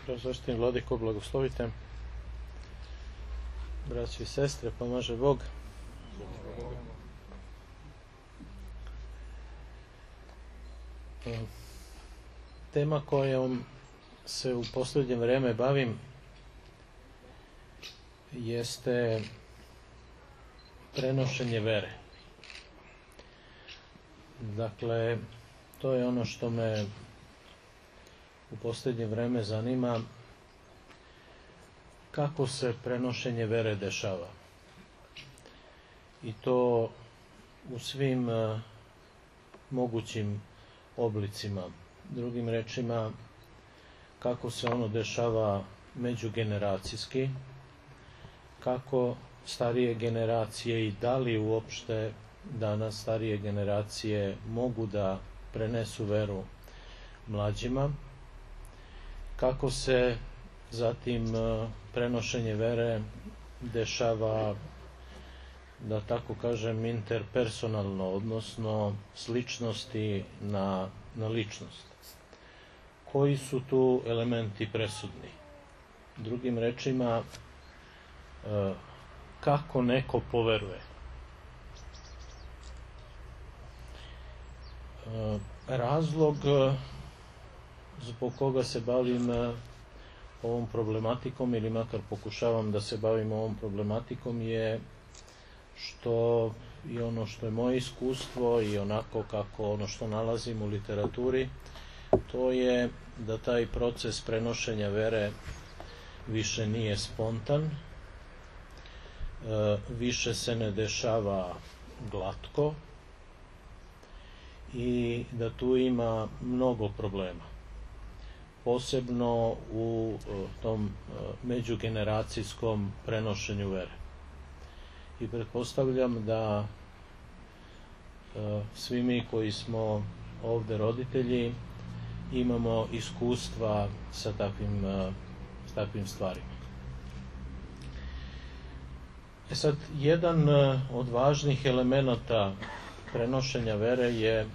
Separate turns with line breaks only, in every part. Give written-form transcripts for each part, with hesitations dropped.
Preosvešten Vladiko, blagoslovite. Braći i sestre, pomaže Bog. Tema kojom se u posljednje vreme bavim jeste prenošenje vere. Dakle, to je ono što me u posljednje vreme zanima, kako se prenošenje vere dešava. I to u svim mogućim oblicima. Drugim rečima, kako se ono dešava međugeneracijski, kako starije generacije i da li uopšte danas starije generacije mogu da prenesu veru mlađima, kako se zatim prenošenje vere dešava, da tako kažem, interpersonalno, odnosno s ličnosti na ličnost. Koji su tu elementi presudni? Drugim rečima, kako neko poveruje. Razlog zbog koga se bavim ovom problematikom, ili makar pokušavam da se bavim ovom problematikom, je što i ono što je moje iskustvo i onako kako ono što nalazim u literaturi, to je da taj proces prenošenja vere više nije spontan, više se ne dešava glatko i da tu ima mnogo problema. Posebno u tom međugeneracijskom prenošenju vere. I pretpostavljam da svi mi koji smo ovde roditelji imamo iskustva sa takvim stvarima. Sad, jedan od važnih elemenata prenošenja vere je,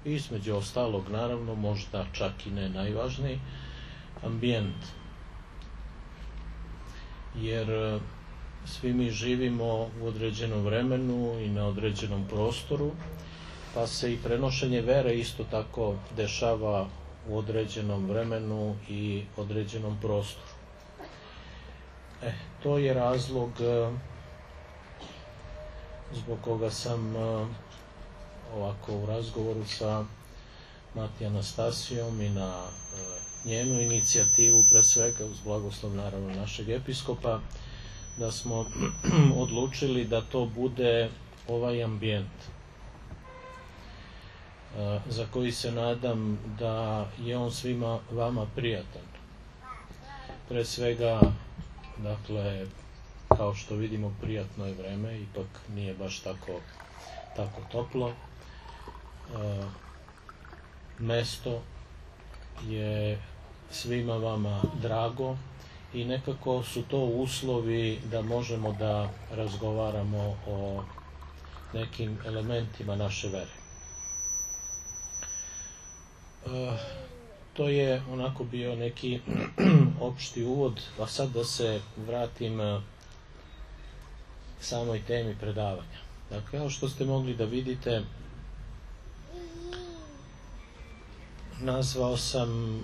između ostalog, naravno, možda čak i ne najvažniji, ambijent. Jer svi mi živimo u određenom vremenu i na određenom prostoru, pa se i prenošenje vere isto tako dešava u određenom vremenu i određenom prostoru. To je razlog zbog koga sam ovako u razgovoru sa Mati Anastasijom i na njenu inicijativu, pre svega uz blagoslov naravno našeg episkopa, da smo odlučili da to bude ovaj ambijent za koji se nadam da je on svima vama prijatan. Pre svega, dakle, kao što vidimo, prijatno je vreme, ipak nije baš tako toplo. Mesto je svima vama drago i nekako su to uslovi da možemo da razgovaramo o nekim elementima naše vere. To je onako bio neki opšti uvod, a sad da se vratim samoj temi predavanja. Dakle, kao što ste mogli da vidite, nazvao sam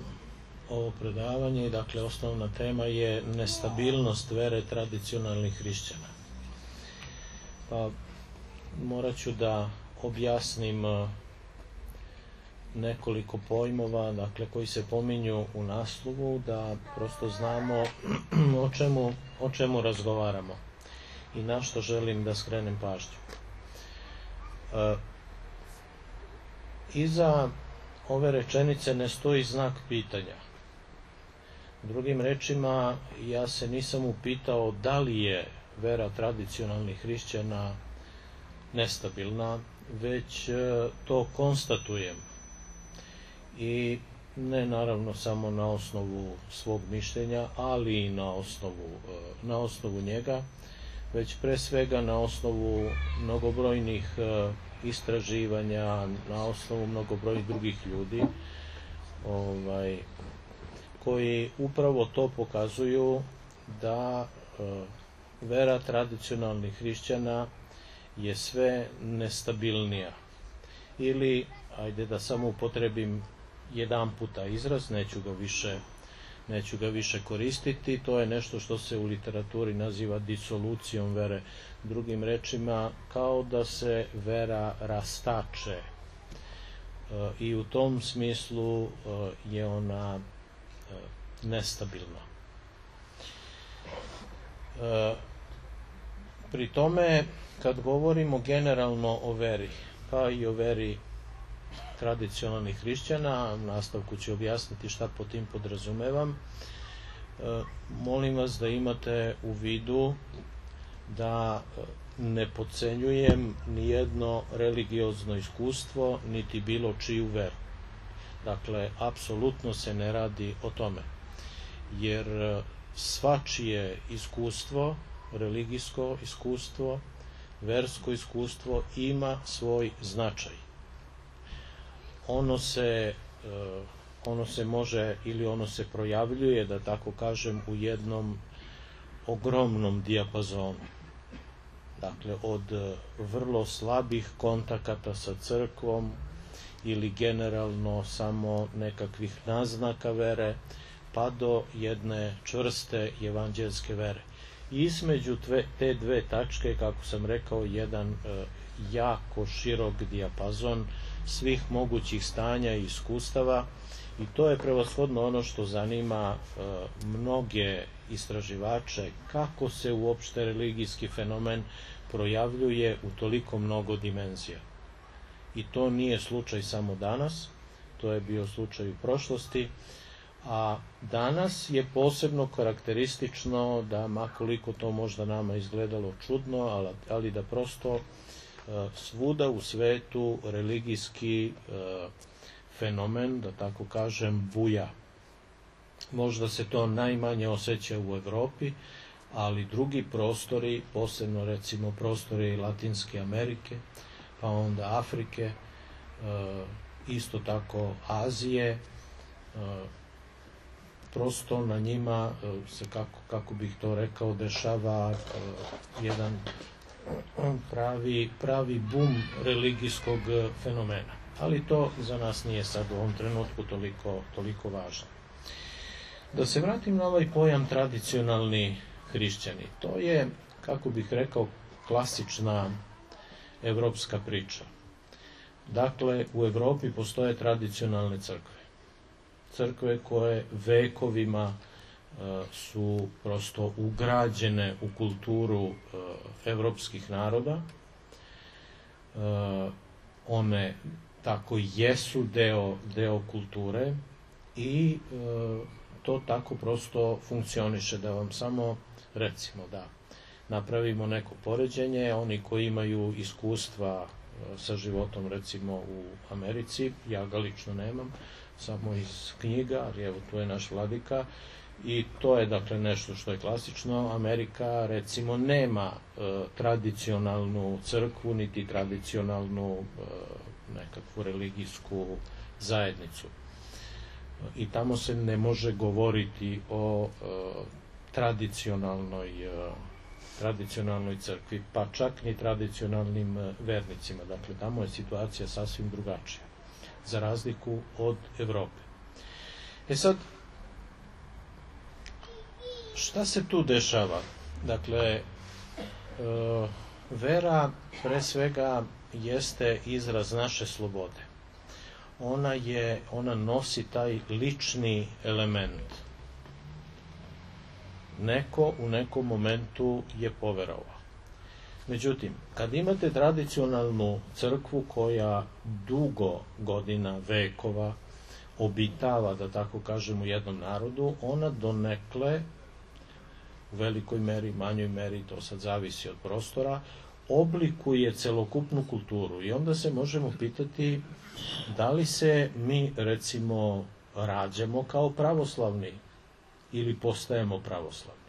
ovo predavanje, dakle, osnovna tema je nestabilnost vere tradicionalnih hrišćana. Pa morat ću da objasnim nekoliko pojmova, dakle, koji se pominju u naslovu, da prosto znamo o čemu razgovaramo i na što želim da skrenem pažnju. Iza ove rečenice ne stoji znak pitanja. Drugim rečima, ja se nisam upitao da li je vera tradicionalnih hrišćana nestabilna, već to konstatujem. I ne naravno samo na osnovu svog mišljenja, ali i na osnovu njega, već pre svega na osnovu mnogobrojnih istraživanja, na osnovu mnogobrojnih drugih ljudi koji upravo to pokazuju da vera tradicionalnih hrišćana je sve nestabilnija. Ili, ajde da samo upotrebim jedan puta izraz, neću ga više koristiti, to je nešto što se u literaturi naziva disolucijom vere. Drugim rečima, kao da se vera rastače i u tom smislu je ona nestabilna. Pri tome, kad govorimo generalno o veri, pa i o veri tradicionalnih hrišćana, u nastavku ću objasniti šta po tim podrazumevam, molim vas da imate u vidu da ne podcenjujem nijedno religiozno iskustvo, niti bilo čiju veru. Dakle, apsolutno se ne radi o tome, jer svačije iskustvo, religijsko iskustvo, versko iskustvo ima svoj značaj. Ono se može ili ono se projavljuje, da tako kažem, u jednom ogromnom dijapazonu. Dakle, od vrlo slabih kontakata sa crkvom ili generalno samo nekakvih naznaka vere, pa do jedne čvrste evanđelske vere. I između te dve tačke, kako sam rekao, jedan jako širok dijapazon svih mogućih stanja i iskustava, i to je prevashodno ono što zanima mnoge istraživače, kako se uopšte religijski fenomen projavljuje u toliko mnogo dimenzija. I to nije slučaj samo danas, to je bio slučaj u prošlosti, a danas je posebno karakteristično da, makoliko to možda nama izgledalo čudno, ali da prosto svuda u svetu religijski fenomen, da tako kažem, buja. Možda se to najmanje osjeća u Evropi, ali drugi prostori, posebno recimo prostori Latinske Amerike, pa onda Afrike, isto tako Azije, prosto na njima se, kako bih to rekao, dešava jedan pravi bum religijskog fenomena. Ali to za nas nije sad u ovom trenutku toliko važno. Da se vratim na ovaj pojam tradicionalni hrišćani. To je, kako bih rekao, klasična evropska priča. Dakle, u Evropi postoje tradicionalne crkve. Crkve koje vekovima su prosto ugrađene u kulturu evropskih naroda. One tako jesu deo kulture i to tako prosto funkcioniše. Da vam samo, recimo, da napravimo neko poređenje, oni koji imaju iskustva sa životom, recimo, u Americi, ja ga lično nemam, samo iz knjiga, ali evo, tu je naš vladika, i to je, dakle, nešto što je klasično. Amerika, recimo, nema tradicionalnu crkvu, niti tradicionalnu nekakvu religijsku zajednicu. I tamo se ne može govoriti o tradicionalnoj crkvi, pa čak ni tradicionalnim vernicima. Dakle, tamo je situacija sasvim drugačija, za razliku od Evrope. Sad, šta se tu dešava? Dakle, vera pre svega jeste izraz naše slobode. Ona nosi taj lični element. Neko u nekom momentu je poverovao. Međutim, kad imate tradicionalnu crkvu koja dugo godina, vekova, obitava, da tako kažem, u jednom narodu, ona donekle, u velikoj meri, manjoj meri, to sad zavisi od prostora, oblikuje celokupnu kulturu. I onda se možemo pitati da li se mi, recimo, rađamo kao pravoslavni ili postajemo pravoslavni.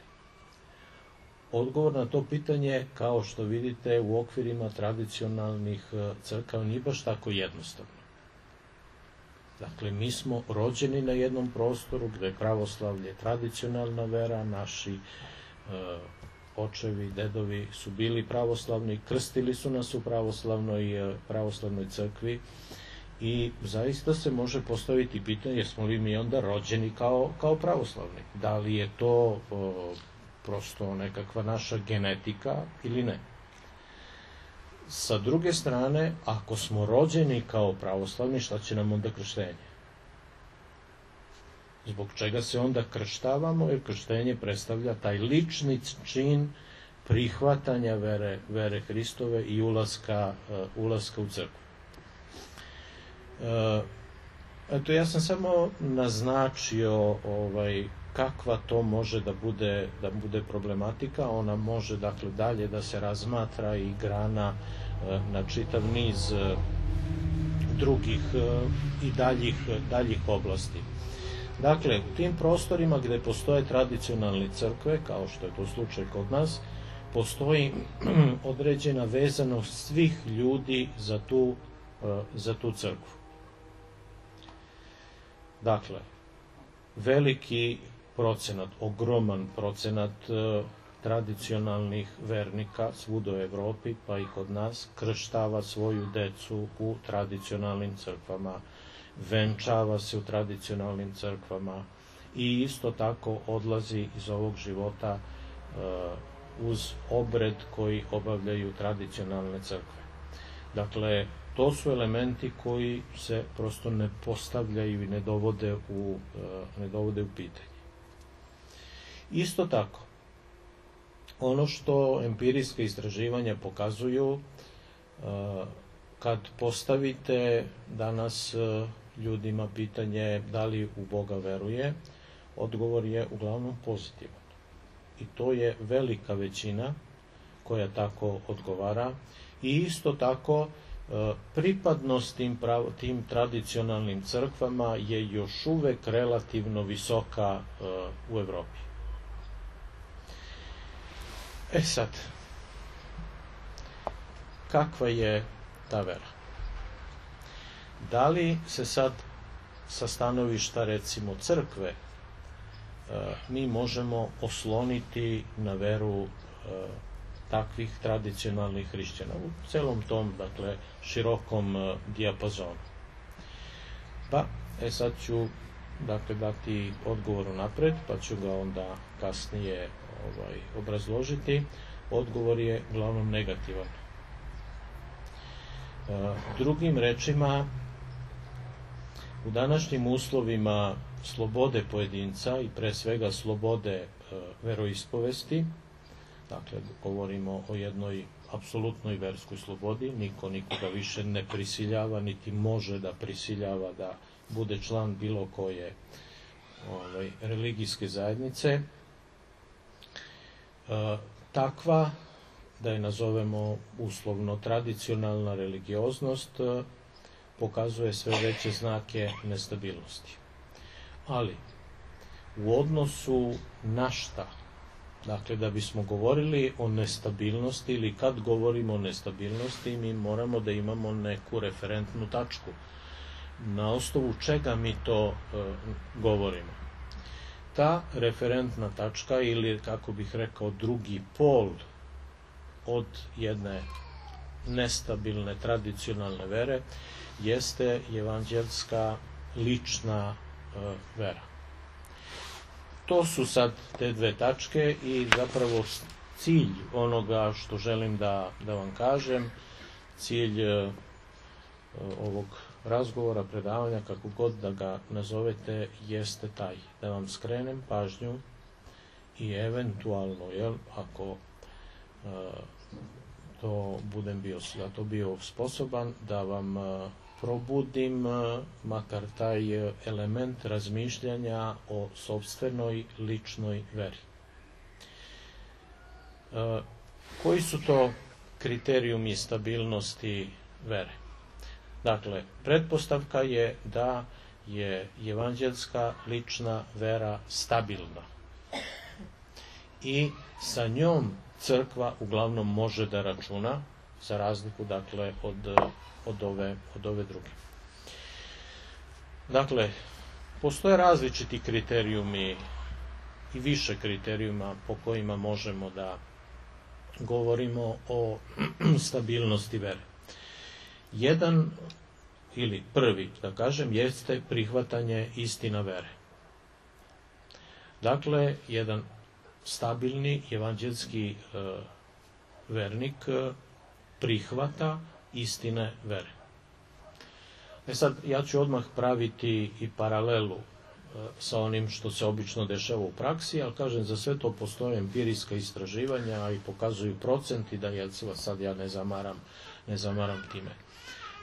Odgovor na to pitanje, kao što vidite, u okvirima tradicionalnih crkava nije baš tako jednostavno. Dakle, mi smo rođeni na jednom prostoru gde je pravoslavlje tradicionalna vera, naši očevi, dedovi su bili pravoslavni, krstili su nas u pravoslavnoj crkvi i zaista se može postaviti pitanje jesmo li mi onda rođeni kao pravoslavni. Da li je to prosto nekakva naša genetika ili ne. Sa druge strane, ako smo rođeni kao pravoslavni, šta će nam onda krštenje? Zbog čega se onda krštavamo? Jer krštenje predstavlja taj lični čin prihvatanja vere Hristove i ulaska u crkvu. Eto, ja sam samo naznačio kakva to može da bude problematika. Ona može, dakle, dalje da se razmatra i grana na čitav niz drugih i daljih oblasti. Dakle, u tim prostorima gde postoje tradicionalne crkve, kao što je to slučaj kod nas, postoji određena vezanost svih ljudi za tu crkvu. Dakle, veliki procenat, ogroman procenat tradicionalnih vernika svuda u Evropi, pa i kod nas, krštava svoju decu u tradicionalnim crkvama, venčava se u tradicionalnim crkvama i isto tako odlazi iz ovog života uz obred koji obavljaju tradicionalne crkve. Dakle, to su elementi koji se prosto ne postavljaju i ne dovode u pitanje. Isto tako, ono što empirijska istraživanja pokazuju, kad postavite danas ljudima pitanje da li u Boga veruje, odgovor je uglavnom pozitivan. I to je velika većina koja tako odgovara i isto tako pripadnost tim tradicionalnim crkvama je još uvek relativno visoka u Evropi. Sad, kakva je ta vera? Da li se sad sa stanovišta, recimo, crkve mi možemo osloniti na veru takvih tradicionalnih hrišćana u celom tom, dakle, širokom dijapazonu? Pa, sad ću, dakle, dati odgovor unapred, pa ću ga onda kasnije obrazložiti. Odgovor je uglavnom negativan. Drugim rečima, u današnjim uslovima slobode pojedinca i pre svega slobode veroispovesti, dakle, govorimo o jednoj apsolutnoj verskoj slobodi, niko nikoga više ne prisiljava, niti može da prisiljava da bude član bilo koje religijske zajednice, takva, da je nazovemo uslovno tradicionalna religioznost, pokazuje sve veće znake nestabilnosti. Ali, u odnosu na šta? Dakle, da bismo govorili o nestabilnosti ili kad govorimo o nestabilnosti, mi moramo da imamo neku referentnu tačku. Na osnovu čega mi to govorimo? Ta referentna tačka, ili kako bih rekao drugi pol od jedne nestabilne tradicionalne vere, jeste evanđelska lična vera. To su sad te dve tačke i zapravo cilj onoga što želim da vam kažem, cilj ovog razgovora, predavanja, kako god da ga nazovete, jeste taj, da vam skrenem pažnju i eventualno, ako to budem bio sposoban, da vam probudim makar taj element razmišljanja o sopstvenoj ličnoj veri. Koji su to kriterijumi stabilnosti vere? Dakle, pretpostavka je da je evanđelska lična vera stabilna i sa njom crkva uglavnom može da računa, za razliku, dakle, od ove druge. Dakle, postoje različiti kriterijumi i više kriterijuma po kojima možemo da govorimo o stabilnosti vere. Jedan, ili prvi, da kažem, jeste prihvatanje istina vere. Dakle, jedan stabilni evanđelski vernik prihvata istine vere. Sad, ja ću odmah praviti i paralelu sa onim što se obično dešava u praksi, ali kažem, za sve to postoje empirijska istraživanja i pokazuju procenti, da sad ja ne zamaram time.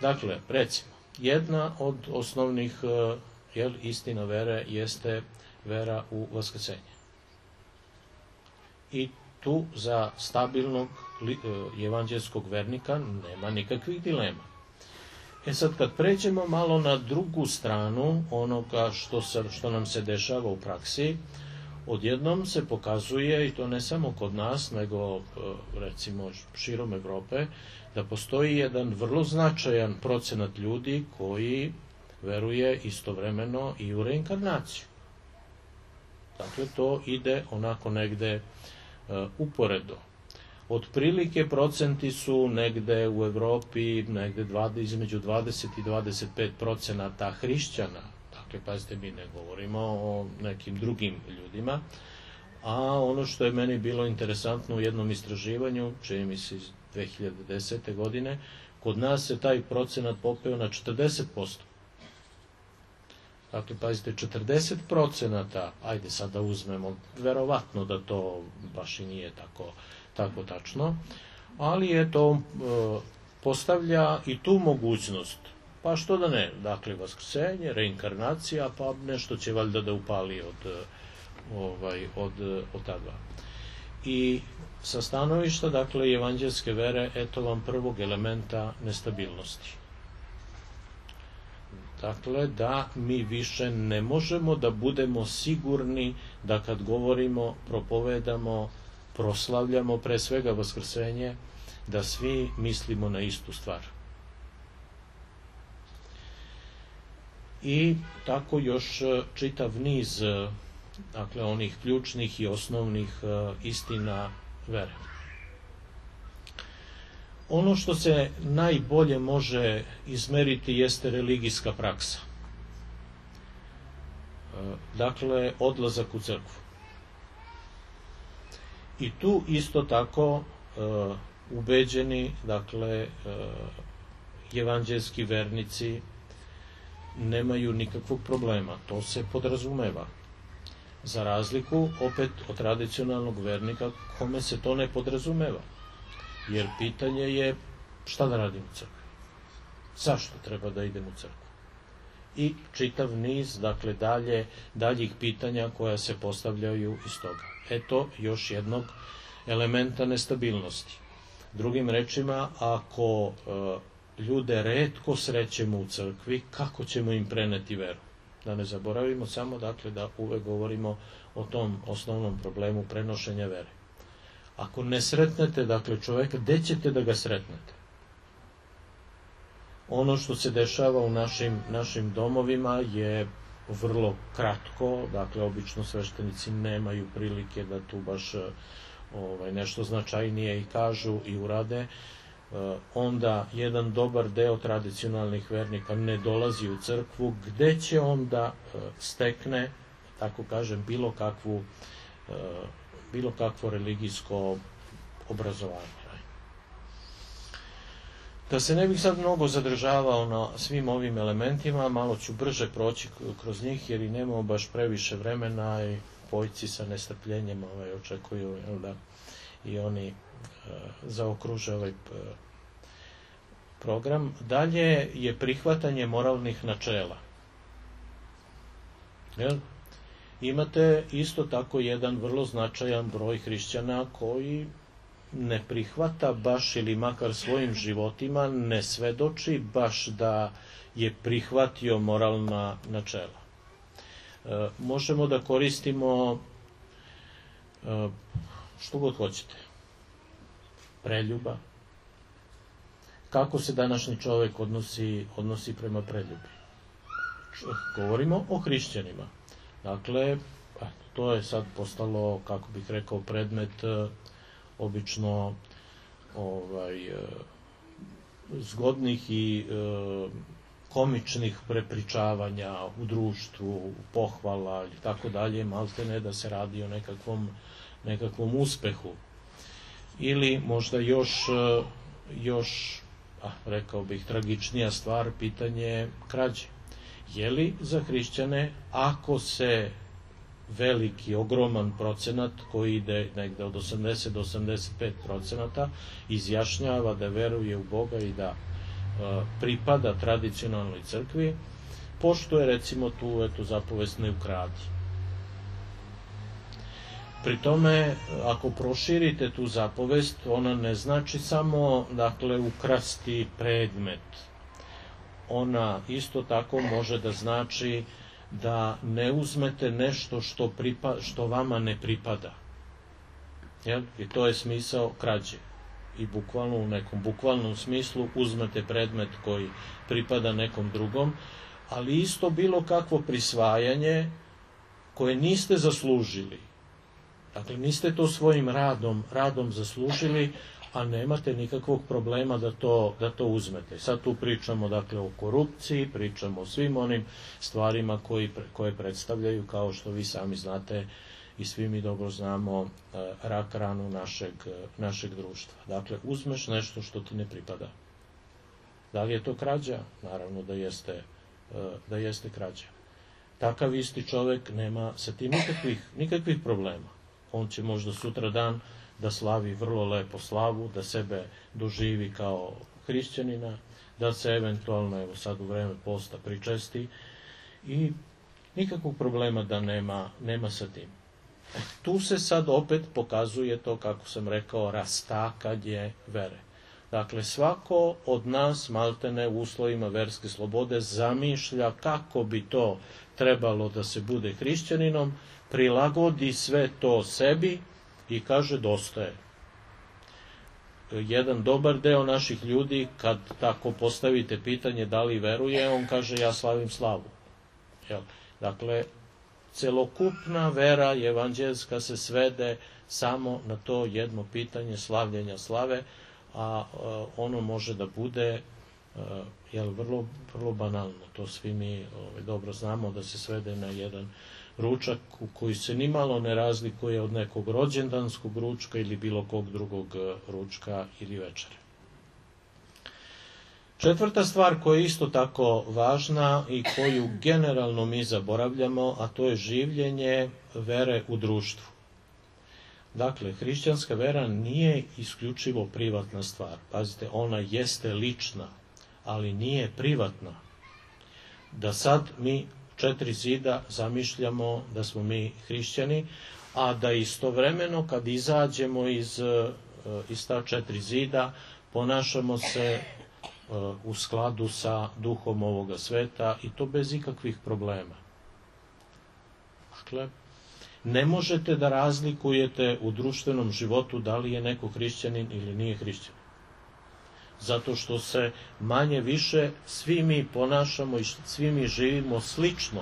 Dakle, recimo, jedna od osnovnih istina vere jeste vera u vaskrsenje. I tu za stabilnog evanđelskog vernika nema nikakvih dilema. Sad, kad pređemo malo na drugu stranu onoga što nam se dešava u praksi, odjednom se pokazuje, i to ne samo kod nas, nego recimo širom Evrope, da postoji jedan vrlo značajan procenat ljudi koji veruje istovremeno i u reinkarnaciju. Dakle, to ide onako negde uporedo. Otprilike procenti su negde u Evropi, negde između 20 i 25% hrišćana. Dakle, pazite, mi ne govorimo o nekim drugim ljudima. A ono što je meni bilo interesantno u jednom istraživanju, čini mi se iz 2010. godine, kod nas se taj procenat popeo na 40%. Dakle, pazite, 40%, ajde sad da uzmemo, verovatno da to baš i nije tako tačno, ali je to postavlja i tu mogućnost, pa što da ne, dakle, vaskrsenje, reinkarnacija, pa nešto će valjda da upali od ta dva. I sa stanovišta, dakle, evanđelske vere, eto vam prvog elementa nestabilnosti. Dakle, da mi više ne možemo da budemo sigurni da kad govorimo, propovedamo, proslavljamo pre svega vaskrsenje, da svi mislimo na istu stvar. I tako još čitav niz, dakle, onih ključnih i osnovnih istina vere. Ono što se najbolje može izmeriti jeste religijska praksa. Dakle, odlazak u crkvu. I tu isto tako ubeđeni, dakle, evanđelski vernici nemaju nikakvog problema. To se podrazumeva. Za razliku, opet, od tradicionalnog vernika, kome se to ne podrazumeva. Jer pitanje je šta da radim u crkvi? Zašto treba da idem u crkvu? I čitav niz, dakle, daljih pitanja koja se postavljaju iz toga. Eto još jednog elementa nestabilnosti. Drugim rečima, ako ljude retko srećemo u crkvi, kako ćemo im preneti veru? Da ne zaboravimo samo, dakle, da uvek govorimo o tom osnovnom problemu prenošenja vere. Ako ne sretnete, dakle, čoveka, gde ćete da ga sretnete? Ono što se dešava u našim domovima je vrlo kratko, dakle, obično sveštenici nemaju prilike da tu baš nešto značajnije i kažu i urade. Onda jedan dobar deo tradicionalnih vernika ne dolazi u crkvu, gde će onda stekne, tako kažem, bilo kakvo religijsko obrazovanje. Da se ne bih sad mnogo zadržavao na svim ovim elementima, malo ću brže proći kroz njih, jer i nemamo baš previše vremena i pojci sa nestrpljenjem očekuju da i oni zaokruže ovaj program. Dalje je prihvatanje moralnih načela. Imate isto tako jedan vrlo značajan broj hrišćana koji ne prihvata baš, ili makar svojim životima ne svedoči baš da je prihvatio moralna načela. Možemo da koristimo što god hoćete. Preljuba. Kako se današnji čovek odnosi prema preljubi? Govorimo o hrišćanima. Dakle, to je sad postalo, kako bih rekao, predmet obično zgodnih i komičnih prepričavanja u društvu, pohvala i tako dalje, maltene da se radi o nekakvom uspehu. Ili možda još rekao bih, tragičnija stvar, pitanje krađe. Je li za hrišćane, ako se veliki, ogroman procenat koji ide negde od 80 do 85% izjašnjava da veruje u Boga i da pripada tradicionalnoj crkvi, poštuje recimo tu zapovest ne ukradi. Pri tome, ako proširite tu zapovest, ona ne znači samo, dakle, ukrasti predmet. Ona isto tako može da znači da ne uzmete nešto što vama ne pripada. I to je smisao krađe. I bukvalno, u nekom bukvalnom smislu, uzmete predmet koji pripada nekom drugom, ali isto bilo kakvo prisvajanje koje niste zaslužili. Dakle, niste to svojim radom zaslužili, a nemate nikakvog problema da to uzmete. Sad tu pričamo, dakle, o korupciji, pričamo o svim onim stvarima koje predstavljaju, kao što vi sami znate i svi mi dobro znamo, rak ranu našeg društva. Dakle, uzmeš nešto što ti ne pripada. Da li je to krađa? Naravno da jeste krađa. Takav isti čovek nema sa tim nikakvih problema. On će možda sutradan da slavi vrlo lepo slavu, da sebe doživi kao hrišćanina, da se eventualno, evo sad u vreme posta, pričesti i nikakvog problema da nema sa tim. Tu se sad opet pokazuje to, kako sam rekao, rastakanje vere. Dakle, svako od nas, maltene u uslovima verske slobode, zamišlja kako bi to trebalo da se bude hrišćaninom, prilagodi sve to sebi i kaže dosta je. Jedan dobar deo naših ljudi, kad tako postavite pitanje da li veruje, on kaže ja slavim slavu. Dakle, celokupna vera evanđelska se svede samo na to jedno pitanje slavljenja slave, a ono može da bude vrlo, vrlo banalno. To svi mi dobro znamo, da se svede na jedan ručak u koji se nimalo ne razlikuje od nekog rođendanskog ručka ili bilo kog drugog ručka ili večere. Četvrta stvar koja je isto tako važna i koju generalno mi zaboravljamo, a to je življenje vere u društvu. Dakle, hrišćanska vera nije isključivo privatna stvar. Pazite, ona jeste lična, ali nije privatna. Da sad mi 4 zida zamišljamo da smo mi hrišćani, a da istovremeno kad izađemo iz ta 4 zida ponašamo se u skladu sa duhom ovoga sveta i to bez ikakvih problema. Dakle, ne možete da razlikujete u društvenom životu da li je neko hrišćanin ili nije hrišćanin. Zato što se manje više svi mi ponašamo i svi mi živimo slično,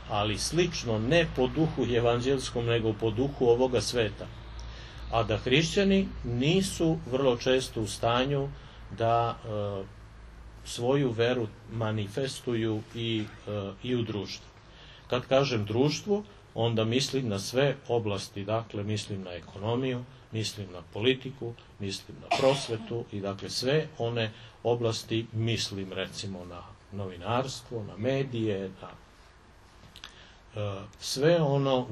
ali slično ne po duhu evanđelskom, nego po duhu ovoga sveta. A da hrišćani nisu vrlo često u stanju da svoju veru manifestuju i u društvu. Kad kažem društvu, onda mislim na sve oblasti, dakle mislim na ekonomiju, mislim na politiku, mislim na prosvetu i dakle sve one oblasti, mislim recimo na novinarstvo, na medije, na sve ono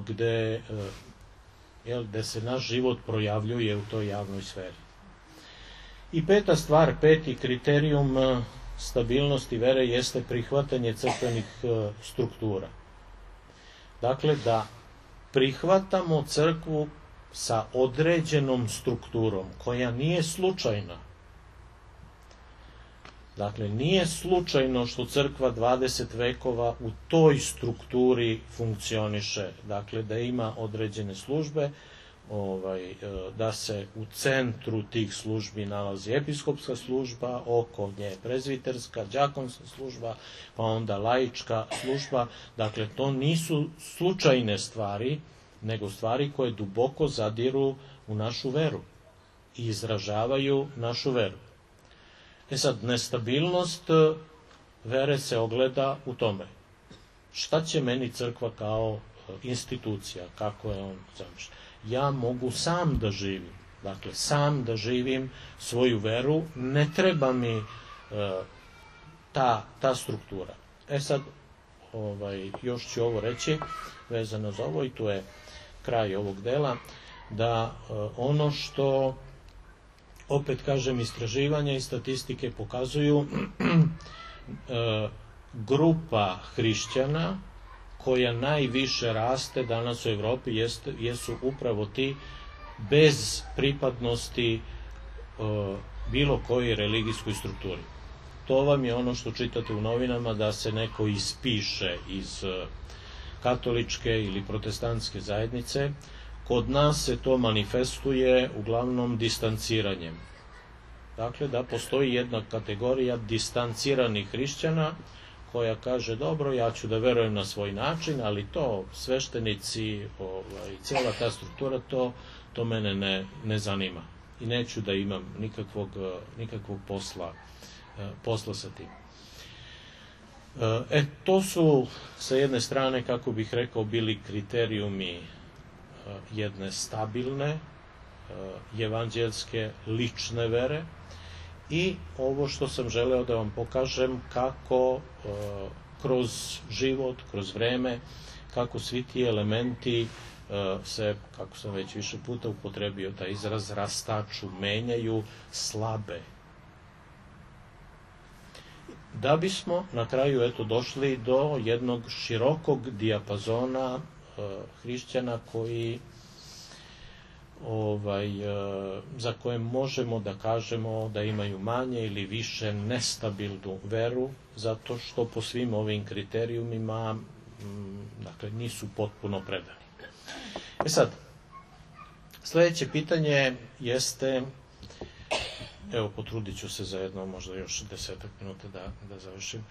gde se naš život projavljuje u toj javnoj sferi. I peta stvar, peti kriterijum stabilnosti vere jeste prihvatanje crkvenih struktura. Dakle, da prihvatamo crkvu sa određenom strukturom, koja nije slučajna. Dakle, nije slučajno što crkva 20 vekova u toj strukturi funkcioniše, dakle, da ima određene službe, da se u centru tih službi nalazi episkopska služba, oko nje prezviterska, đakonska služba, pa onda laička služba. Dakle, to nisu slučajne stvari, nego stvari koje duboko zadiru u našu veru i izražavaju našu veru. Sad, nestabilnost vere se ogleda u tome. Šta će meni crkva kao institucija, kako je on zamišljen? Ja mogu sam da živim, dakle, sam da živim svoju veru, ne treba mi ta struktura. Sad, još ću ovo reći, vezano za ovo, i tu je kraj ovog dela, da ono što, opet kažem, istraživanja i statistike pokazuju, grupa hrišćana koja najviše raste danas u Evropi jesu upravo ti bez pripadnosti bilo kojoj religijskoj strukturi. To vam je ono što čitate u novinama, da se neko ispiše iz katoličke ili protestantske zajednice. Kod nas se to manifestuje uglavnom distanciranjem. Dakle, da postoji jedna kategorija distanciranih hrišćana koja kaže, dobro, ja ću da verujem na svoj način, ali to sveštenici, cijela ta struktura, to mene ne zanima. I neću da imam nikakvog posla sa tim. To su, sa jedne strane, kako bih rekao, bili kriterijumi jedne stabilne, evanđelske, lične vere, i ovo što sam želeo da vam pokažem, kako kroz život, kroz vreme, kako svi ti elementi se, kako sam već više puta upotrebio taj izraz, rastaču, menjaju, slabe. Da bismo na kraju došli do jednog širokog dijapazona hrišćana koji za koje možemo da kažemo da imaju manje ili više nestabilnu veru, zato što po svim ovim kriterijumima nisu potpuno predani. Sad, sledeće pitanje jeste, evo, potrudit ću se za jedno, možda još 10 minuta da završim.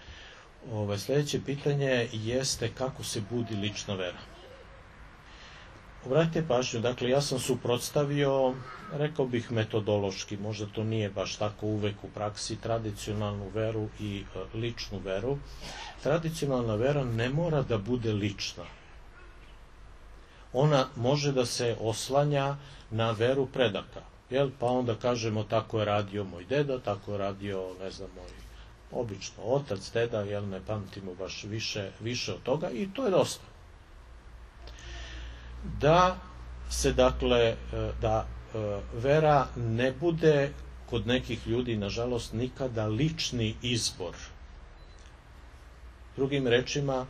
Sledeće pitanje jeste kako se budi lična vera. Obratite pažnju, dakle, ja sam suprotstavio, rekao bih metodološki, možda to nije baš tako uvek u praksi, tradicionalnu veru i ličnu veru. Tradicionalna vera ne mora da bude lična. Ona može da se oslanja na veru predaka. Pa onda kažemo, tako je radio moj deda, tako je radio, ne znam, moj obično otac, deda, ne pamtimo baš više od toga, i to je dosta. Da se, dakle, da vera ne bude kod nekih ljudi, nažalost, nikada lični izbor. Drugim rečima,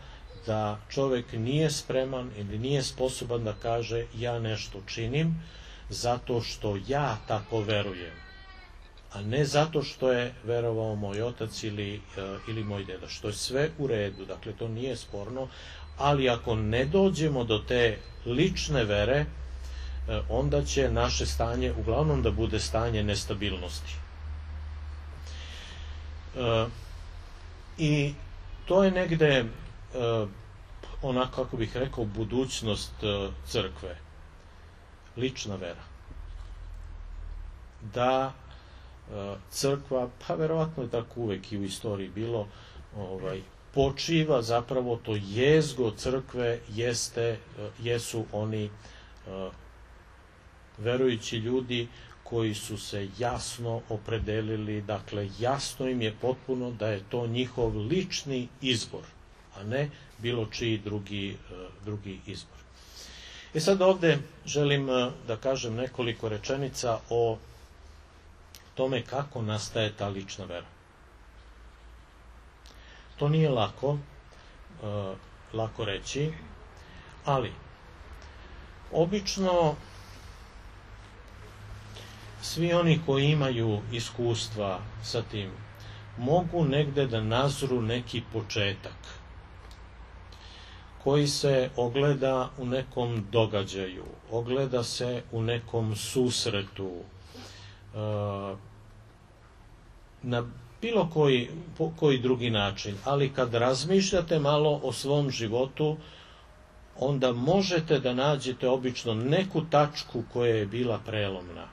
da čovek nije spreman ili nije sposoban da kaže, ja nešto činim zato što ja tako verujem, a ne zato što je verovao moj otac ili moj deda, što je sve u redu, dakle, to nije sporno, ali ako ne dođemo do te lične vere, onda će naše stanje uglavnom da bude stanje nestabilnosti. I to je negde onako, kako bih rekao, budućnost crkve. Lična vera. Da crkva, pa verovatno je tako uvek i u istoriji bilo, počiva, zapravo to jezgo crkve jesu oni verujući ljudi koji su se jasno opredelili, dakle, jasno im je potpuno da je to njihov lični izbor, a ne bilo čiji drugi izbor. Sad ovde želim da kažem nekoliko rečenica o tome kako nastaje ta lična vera. To nije lako reći, ali obično svi oni koji imaju iskustva sa tim mogu negde da nazru neki početak koji se ogleda u nekom događaju, ogleda se u nekom susretu, na bilo koji drugi način, ali kad razmišljate malo o svom životu, onda možete da nađete obično neku tačku koja je bila prelomna.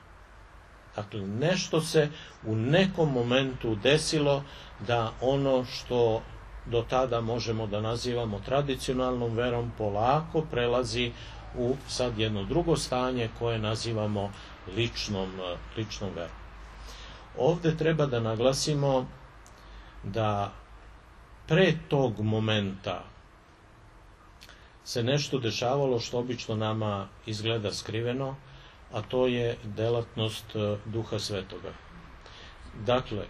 Dakle, nešto se u nekom momentu desilo da ono što do tada možemo da nazivamo tradicionalnom verom polako prelazi u sad jedno drugo stanje koje nazivamo ličnom verom. Ovde treba da naglasimo da pre tog momenta se nešto dešavalo što obično nama izgleda skriveno, a to je delatnost Duha Svetoga. Dakle,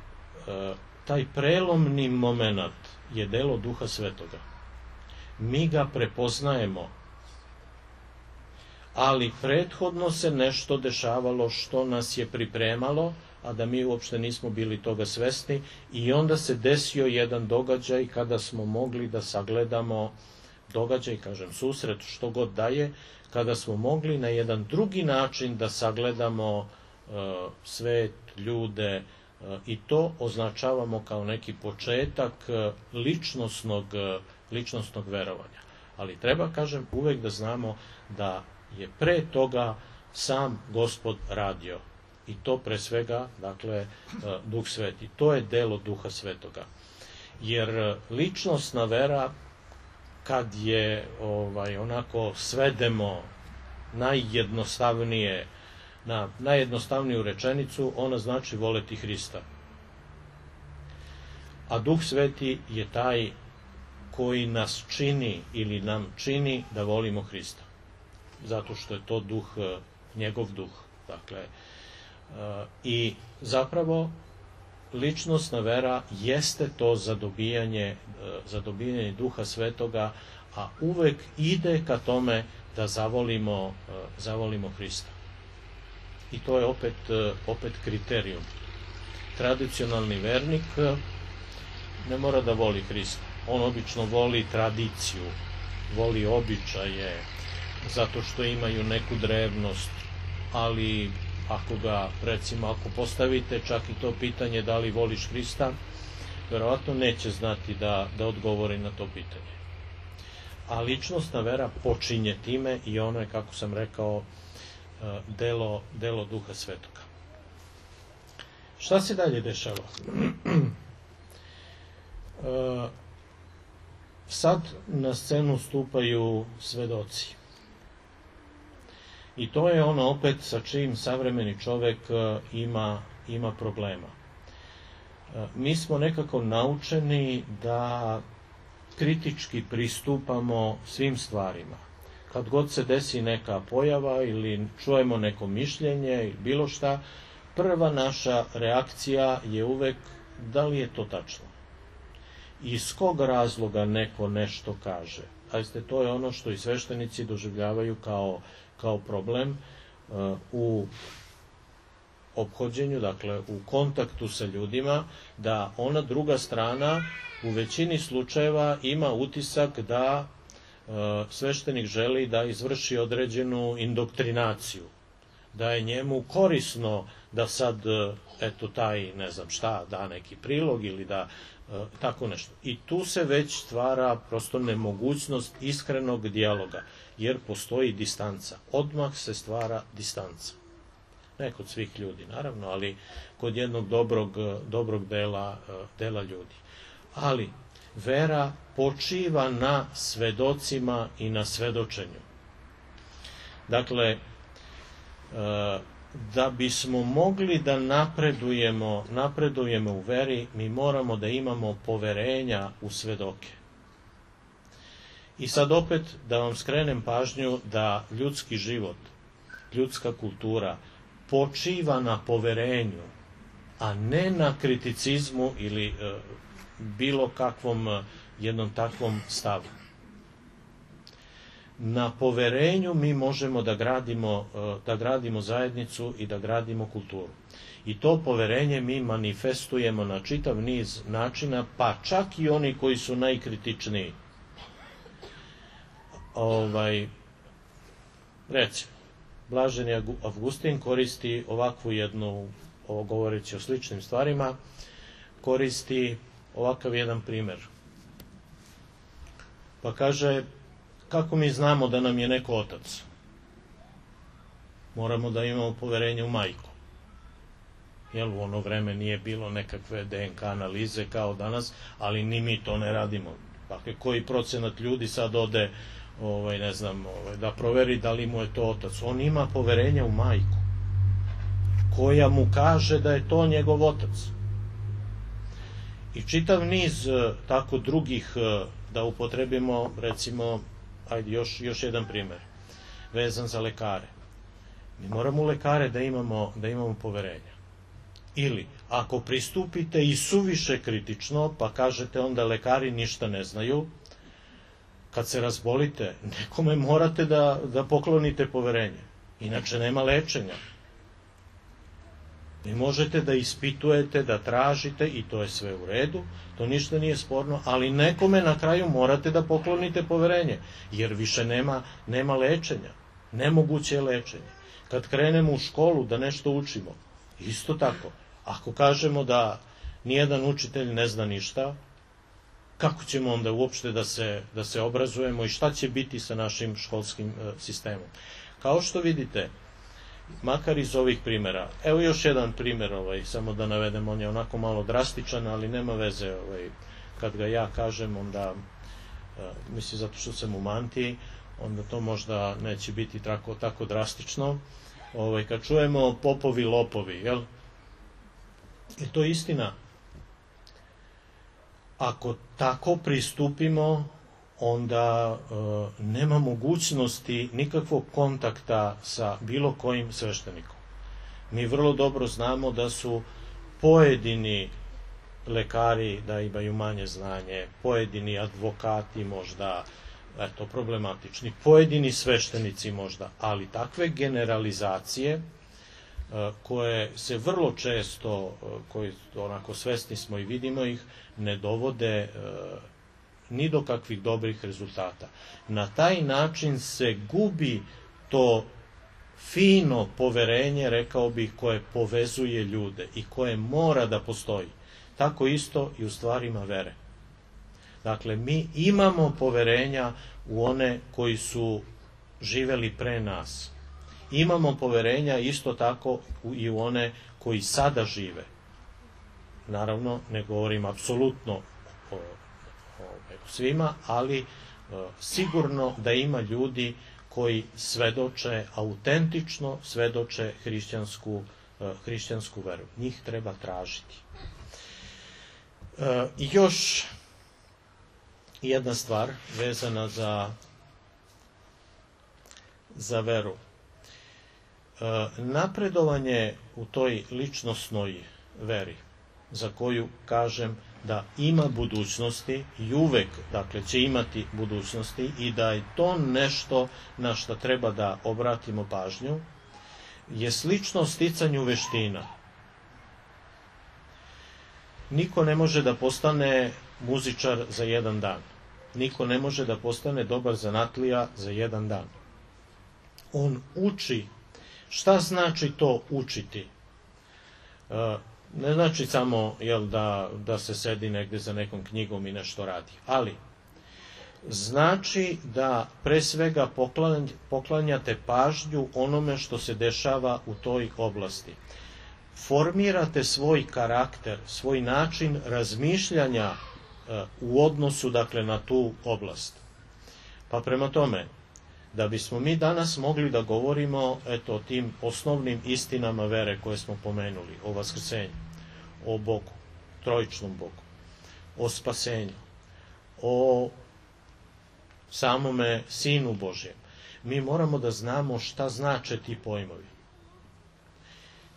taj prelomni moment je delo Duha Svetoga. Mi ga prepoznajemo, ali prethodno se nešto dešavalo što nas je pripremalo, a da mi uopšte nismo bili toga svesni, i onda se desio jedan događaj kada smo mogli da sagledamo događaj, kažem susret, što god daje, kada smo mogli na jedan drugi način da sagledamo svet, ljude, i to označavamo kao neki početak ličnosnog verovanja. Ali treba, kažem, uvek da znamo da je pre toga sam Gospod radio. I to pre svega, dakle, Duh Sveti. To je delo Duha Svetoga. Jer ličnosna vera, kad je onako svedemo najjednostavnije, na najjednostavniju rečenicu, ona znači voleti Hrista. A Duh Sveti je taj koji nas čini ili nam čini da volimo Hrista. Zato što je to duh, njegov duh. Dakle, i zapravo ličnosna vera jeste to zadobijanje Duha Svetoga, a uvek ide ka tome da zavolimo Hrista. I to je opet kriterijum. Tradicionalni vernik ne mora da voli Hrista. On obično voli tradiciju, voli običaje, zato što imaju neku drevnost, ali ako postavite čak i to pitanje da li voliš Hrista, verovatno neće znati da odgovori na to pitanje. A ličnosna vera počinje time i ono je, kako sam rekao, delo Duha Svetoga. Šta se dalje dešava? Sad na scenu stupaju svedoci. I to je ono opet sa čim savremeni čovek ima problema. Mi smo nekako naučeni da kritički pristupamo svim stvarima. Kad god se desi neka pojava ili čujemo neko mišljenje ili bilo šta, prva naša reakcija je uvek da li je to tačno. Iz kog razloga neko nešto kaže. To je ono što i sveštenici doživljavaju kao problem u ophođenju, dakle u kontaktu sa ljudima, da ona druga strana u većini slučajeva ima utisak da sveštenik želi da izvrši određenu indoktrinaciju, da je njemu korisno da sad, taj, ne znam šta, da neki prilog ili da tako nešto. I tu se već stvara prosto nemogućnost iskrenog dijaloga, jer postoji distanca. Odmah se stvara distanca. Ne kod svih ljudi, naravno, ali kod jednog dobrog dela ljudi. Ali vera počiva na svedocima i na svedočenju. Dakle, da bismo mogli da napredujemo u veri, mi moramo da imamo poverenja u svedoke. I sad opet da vam skrenem pažnju da ljudski život, ljudska kultura počiva na poverenju, a ne na kriticizmu ili bilo kakvom jednom takvom stavu. Na poverenju mi možemo da gradimo zajednicu i da gradimo kulturu. I to poverenje mi manifestujemo na čitav niz načina, pa čak i oni koji su najkritičniji. recimo, Blaženi Avgustin koristi ovakvu jednu, govoreći o sličnim stvarima, koristi ovakav jedan primer. Pa kaže, kako mi znamo da nam je neko otac? Moramo da imamo poverenje u majku. Jer u ono vreme nije bilo nekakve DNK analize kao danas, ali ni mi to ne radimo. Dakle, koji procenat ljudi sad ode da proveri da li mu je to otac? On ima poverenje u majku, koja mu kaže da je to njegov otac. I čitav niz tako drugih, da upotrebimo, recimo, ajde još jedan primer, vezan za lekare. Mi moramo u lekare da imamo poverenja. Ili, ako pristupite i suviše kritično, pa kažete onda lekari ništa ne znaju, kad se razbolite, nekome morate da poklonite poverenje. Inače nema lečenja. Vi možete da ispitujete, da tražite, i to je sve u redu, to ništa nije sporno, ali nekome na kraju morate da poklonite poverenje, jer više nema lečenja. Nemoguće je lečenje. Kad krenemo u školu da nešto učimo, isto tako, ako kažemo da nijedan učitelj ne zna ništa, kako ćemo onda uopšte da se obrazujemo i šta će biti sa našim školskim sistemom? Kao što vidite, makar iz ovih primjera, evo još jedan primjer, samo da navedem, on je onako malo drastičan, ali nema veze, kad ga ja kažem, onda, mislim zato što sam u mantiji, onda to možda neće biti tako drastično. Kad čujemo popovi lopovi, jel? Je to istina? Ako tako pristupimo, onda nema mogućnosti nikakvog kontakta sa bilo kojim sveštenikom. Mi vrlo dobro znamo da su pojedini lekari da imaju manje znanje, pojedini advokati možda, problematični, pojedini sveštenici možda, ali takve generalizacije koje se vrlo često, koji onako svesni smo i vidimo ih, ne dovode ni do kakvih dobrih rezultata. Na taj način se gubi to fino poverenje, rekao bih, koje povezuje ljude i koje mora da postoji. Tako isto i u stvarima vere. Dakle, mi imamo poverenja u one koji su živeli pre nas. Imamo poverenja isto tako i u one koji sada žive. Naravno, ne govorim apsolutno o svima, ali sigurno da ima ljudi koji svedoče, autentično svedoče hrišćansku veru. Njih treba tražiti. I još jedna stvar vezana za veru. Napredovanje u toj ličnosnoj veri, za koju kažem da ima budućnosti i uvek, dakle, će imati budućnosti i da je to nešto na što treba da obratimo pažnju, je slično sticanju veština. Niko ne može da postane muzičar za jedan dan. Niko ne može da postane dobar zanatlija za jedan dan. On uči. Šta znači to učiti? Ne znači samo da se sedi negde za nekom knjigom i nešto radi, ali znači da pre svega poklanjate pažnju onome što se dešava u toj oblasti. Formirate svoj karakter, svoj način razmišljanja u odnosu, dakle, na tu oblast. Pa prema tome, da bismo mi danas mogli da govorimo o tim osnovnim istinama vere koje smo pomenuli, o vaskrsenju, o Bogu, trojičnom Bogu, o spasenju, o samome Sinu Božjem, mi moramo da znamo šta znače ti pojmovi.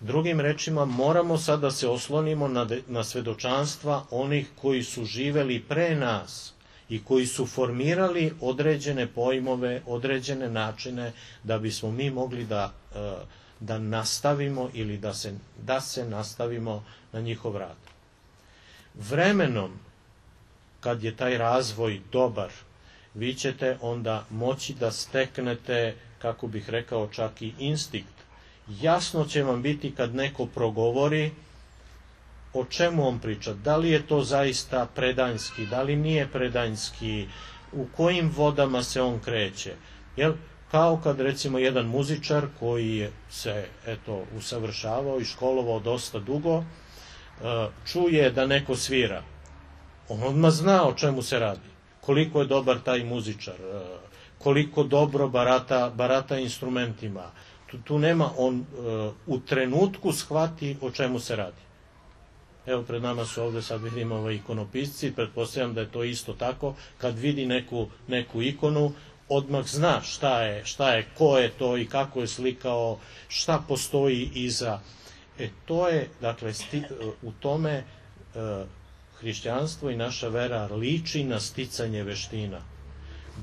Drugim rečima, moramo sad da se oslonimo na svedočanstva onih koji su živeli pre nas i koji su formirali određene pojmove, određene načine, da bismo mi mogli da nastavimo ili da se nastavimo na njihov rad. Vremenom, kad je taj razvoj dobar vi ćete onda moći da steknete, kako bih rekao, čak i instinkt. Jasno će vam biti kad neko progovori o čemu on priča, da li je to zaista predanjski, da li nije predanjski, u kojim vodama se on kreće. Jel? Kao kad recimo jedan muzičar koji se usavršavao i školovao dosta dugo, čuje da neko svira. On odmah zna o čemu se radi, koliko je dobar taj muzičar, koliko dobro barata instrumentima. Tu nema, on u trenutku shvati o čemu se radi. Evo, pred nama su ovde, sad vidimo ikonopisci, pretpostavljam da je to isto tako, kad vidi neku ikonu, odmah zna šta je, ko je to i kako je slikao, šta postoji iza. To je, dakle, u tome hrišćanstvo i naša vera liči na sticanje veština.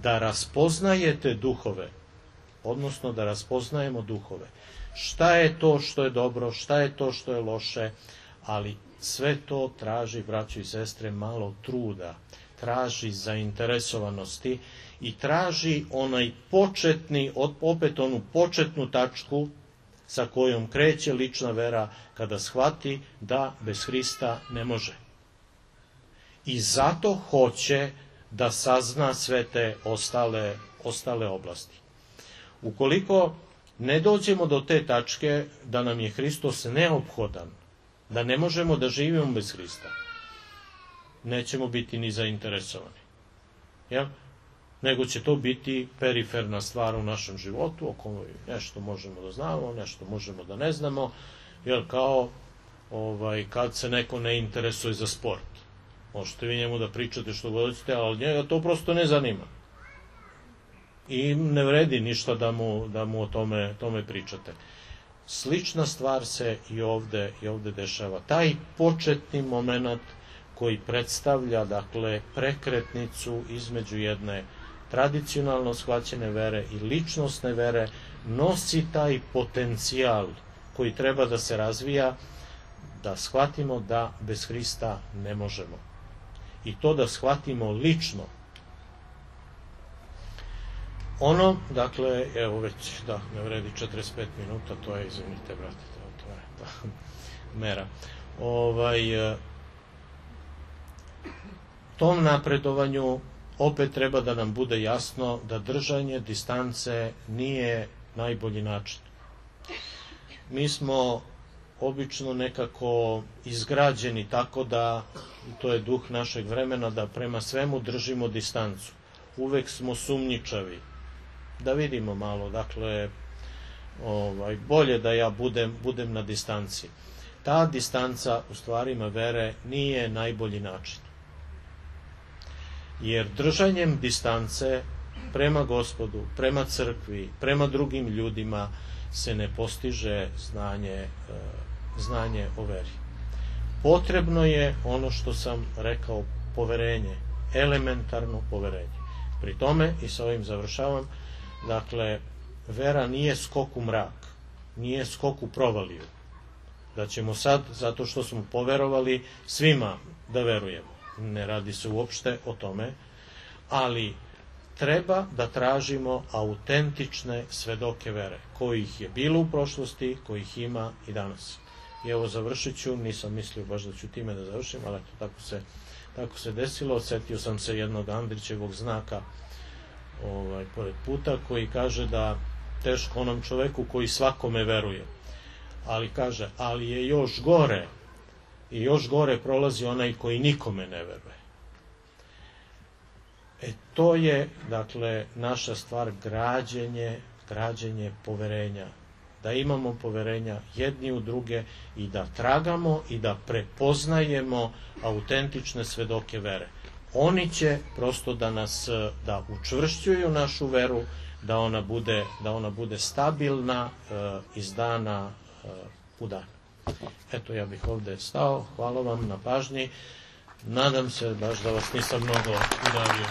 Da raspoznajete duhove, odnosno da raspoznajemo duhove. Šta je to što je dobro, šta je to što je loše, ali sve to traži, braćo i sestre, malo truda, traži zainteresovanosti i traži onaj početni, opet onu početnu tačku sa kojom kreće lična vera kada shvati da bez Hrista ne može. I zato hoće da sazna sve te ostale oblasti. Ukoliko ne dođemo do te tačke da nam je Hristos neophodan, da ne možemo da živimo bez Hrista, nećemo biti ni zainteresovani. Jel? Nego će to biti periferna stvar u našem životu, o kojoj nešto možemo da znamo, nešto možemo da ne znamo, jel, kao kad se neko ne interesuje za sport. Možete vi njemu da pričate što god hoćete, ali njega to prosto ne zanima. I ne vredi ništa da mu o tome pričate. Slična stvar se i ovde dešava. Taj početni moment koji predstavlja, dakle, prekretnicu između jedne tradicionalno shvaćene vere i ličnosne vere, nosi taj potencijal koji treba da se razvija, da shvatimo da bez Hrista ne možemo. I to da shvatimo lično. Ono, dakle, evo već, da, ne vredi 45 minuta, to je, izvinite, brate, to je mera. Tom napredovanju opet treba da nam bude jasno da držanje distance nije najbolji način. Mi smo obično nekako izgrađeni tako da, to je duh našeg vremena, da prema svemu držimo distancu. Uvek smo sumnjičavi. Da vidimo malo, dakle, bolje da ja budem na distanci. Ta distanca u stvarima vere nije najbolji način. Jer držanjem distance prema Gospodu, prema crkvi, prema drugim ljudima se ne postiže znanje o veri. Potrebno je ono što sam rekao, poverenje, elementarno poverenje. Pri tome, i sa ovim završavam, dakle, vera nije skok u mrak, nije skok u provaliju. Da ćemo sad, zato što smo poverovali, svima da verujemo. Ne radi se uopšte o tome, ali treba da tražimo autentične svedoke vere, kojih je bilo u prošlosti, kojih ima i danas. I evo, završit ću, nisam mislio baš da ću time da završim, ali tako se desilo. Odsetio sam se jednog Andrićevog znaka pored puta, koji kaže da teško onom čoveku koji svakome veruje, ali kaže, ali je još gore, i još gore prolazi onaj koji nikome ne veruje. To je, dakle, naša stvar, građenje poverenja. Da imamo poverenja jedni u druge i da tragamo i da prepoznajemo autentične svedoke vere. Oni će prosto da učvršćuju našu veru, da ona bude stabilna iz dana u dan. Eto, ja bih ovde stao. Hvala vam na pažnji. Nadam se baš da vas nisam mnogo udavio.